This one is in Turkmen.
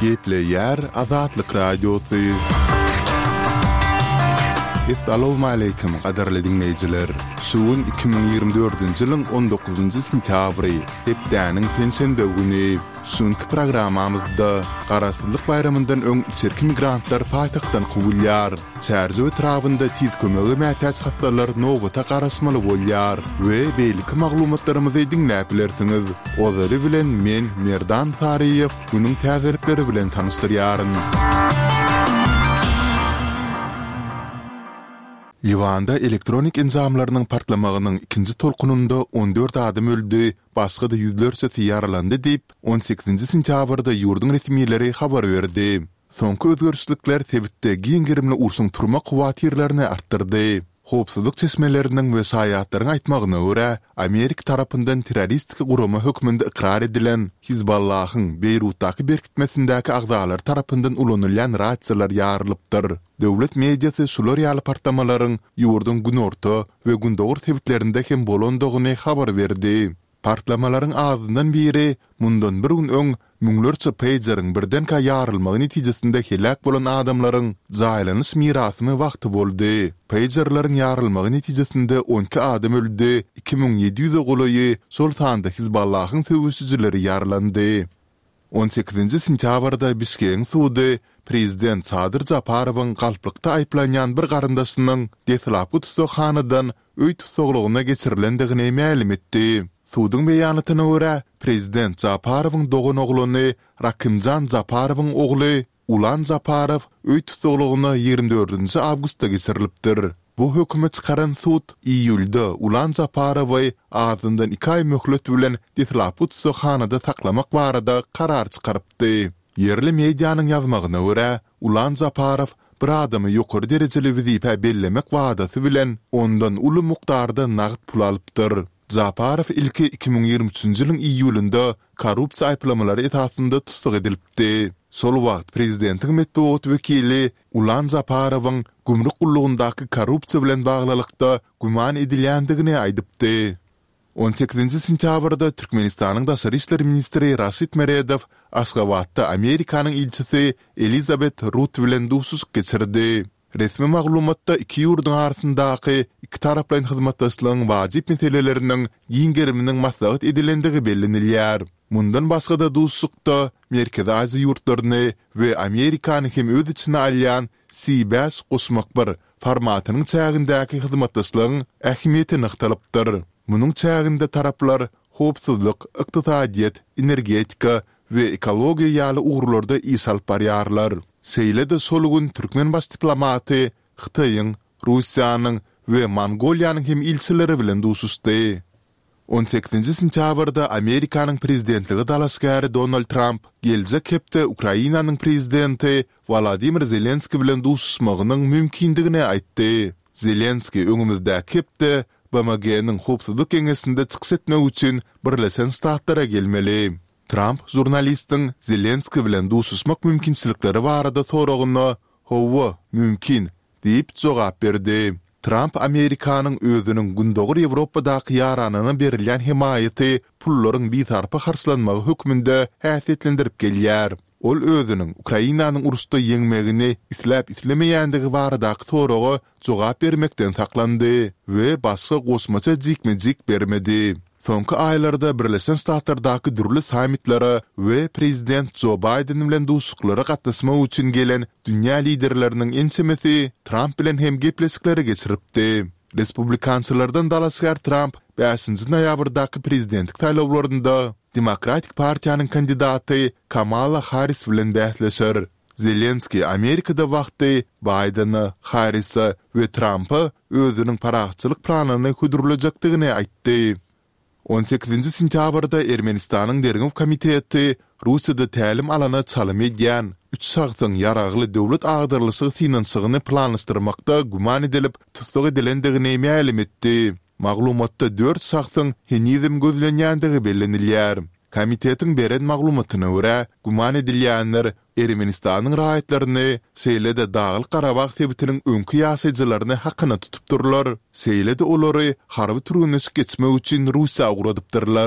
Gepleýär Azatlyk Radiosy. Essalawmaleýkim, gadyrly diňleýjiler! Şu gün 2024-nji ýylyň on dokuzynjy sentýabry, hepdäniň penşenbe güni. Şu günki programmamyzda Garaşsyzlyk baýramyndan öň içerki migrantlar paýtagtdan kowulýar. Çärjew etrabynda tiz kömege mätäç hassalar nobata garaşmaly bolýar we beýleki maglumatlarymyzy diňläp bilersiňiz. Ozaly bilen men Merdan Saryýew günüň täzelikleri bilen tanyşdyrýaryn. Liwanda elektronik enjamlarynyň partlamagynyň ikinji tolkunynda 14 adam öldi, başga-da ýüzlerçesi ýaralandy diýip, on sekizinji sentýabrda ýurduň resmileri habar berdi. Soňky özgerişlikler sebitde giň gerimli urşuň turmak howatyrlaryny artdyrdy. Howpsuzlyk çeşmeleriniň we şaýatlaryň aýtmagyna görä, Amerika tarapyndan terroristik gurama hökmünde ykrar edilen Hizballahyň Beýrutdaky berkitmesindäki agzalary tarapyndan ulanylýan rasiýalar ýarylypdyr. Döwlet mediasy şular ýaly partlamalaryň ýurduň günorta we gündogar sebitlerinde hem bolandygyny habar berdi. Partlamalaryň azyndan biri mundan bir gün öň müňlerçe peýjeriň birdenkä ýarylmagy netijesinde heläk bolan adamlaryň jaýlanyş mirasymy wagty boldy. Peýjerleriň ýarylmagy netijesinde 12 adam öldi, 2700-e golaýy, şol sanda Hizballahyň söweşijileri ýaralandy. On sekizinji sentýabrda Bişkegiň sudy prezident Sadyr Japarowyň galplykda aýyplanýan bir garyndaşynyň deslapky tussaghanadan öý tussaglygyna geçirilendigini mälim etdi. Suduň beýanatyna görä, prezident Japarowyň doganoglany Rakymjan Japarowyň ogly Ulan Japarow öý tussaglygyna 24 nji awgustda geçirilipdir. Bu hökümi çykaran sud iýulda Ulan Japarowy azyndan iki aý möhlet bilen deslapky tussaghanada saklamak barada karar çykarypdy. Ýerli medianyň ýazmagyna görä, Ulan Japarow bir adamy ýokary derejeli wezipä bellemek wadasy bilen ondan uly mukdarda nagt pul alypdyr. Japarow ilki 2023-nji ýylyň iýulynda korrupsiýa aýyplamalary esasynda tussag edilipdi. Şol wagt prezidentiň metbugat wekili Ulan Japarowyň gümrük gullugyndaky korrupsiýa bilen baglylykda güman edilýändigini aýdypdy. On sekizinji sentýabrda Türkmenistanyň daşary işler ministri Raşid Meredow Aşgabatda Amerikanyň ilçisi Elizabet Rut bilen duşuşyk geçirdi. Resmi maglumatda iki ýurduň arasyndaky ikitaraplaýyn hyzmatdaşlygyň wajyp meseleleriniň giň geriminiň maslahat edilendigi bellenilýär. Mundan başga-da duşuşykda Merkezi Aziýa ýurtlaryny we Amerikany hem öz içine alýan C bäş goşmak bir formatynyň çägindäki hyzmatdaşlygyň ähmiýeti nygtalypdyr. Munuň çäginde taraplar howpsuzlyk, ykdysadyýet, energetika we ekologiýa ýaly ugurlarda iş alyp barýarlar. Şeýle-de şol gün türkmen baş diplomaty Hytaýyň, Russiýanyň we Mongoliýanyň hem ilçileri bilen duşuşdy. On sekizinji sentýabrda Amerikanyň prezidentlige dalaşgäri Donald Tramp geljek hepde Ukrainanyň prezidenti Wolodymyr Zelenskiý bilen duşuşmagynyň mümkindigini aýtdy. Zelenskiý öňümizdäki hepde BMG-niň Howpsuzlyk Geňeşinde çykyş etmek üçin Birleşen Ştatlara gelmeli. Tramp žurnalistiň Zelenskiý bilen duşuşmak mümkinçilikleri barada soragyna, Hawa, mümkin, diýip jogap berdi. Tramp Amerikanyň özüniň Gündogar Ýewropadaky ýaranyna berilýän hemaýaty pullaryň bisarpa harçlanmagy hökmünde häsiýetlendirip gelýär. Ol özüniň Ukrainanyň uruşda ýeňmegini isläp-islemeýändigi baradaky soraga jogap bermekden saklandy we başga goşmaça jikme-jik bermedi. Soňky aýlarda Birleşen Ştatlardaky dürli sammitlere we prezident Jo Baýden bilen duşuşyklara gatnaşmak üçin gelen dünýä liderleriniň ençemesi Tramp bilen hem gepleşikleri geçiripdi. Respublikançylardan dalaşgär Tramp bäşinji noýabrdaky prezidentlik saýlawlarynda Demokratik partiýanyň kandidaty Kamala Harris bilen bäsleşer. Zelenskiý Amerikada wagty Baýdene, Harrise we Trampa özüniň parahatçylyk planyny hödürlejekdigini aýtdy. On sekizinji sentýabrda Ermenistanyň Derňew komiteti Russiýada tälim alana çalym edýän üç şahsyň ýaragly döwlet agdarylyşygy synanyşygyny planlaşdyrmakda güman edilip tussag edilendigini mälim etdi. Maglumatda dört şahsyň henizem gözlenýändigi bellenilýär. Komitetiň beren maglumatyna görä, güman edilýänler Ermenistanyň raýatlaryny, şeýle-de Daglyk-Garabag sebitiniň öňki ýaşaýjylaryny hakyna tutupdyrlar, şeýle-de olary harby türgenleşik geçmek üçin Russiýa ugradypdyrlar.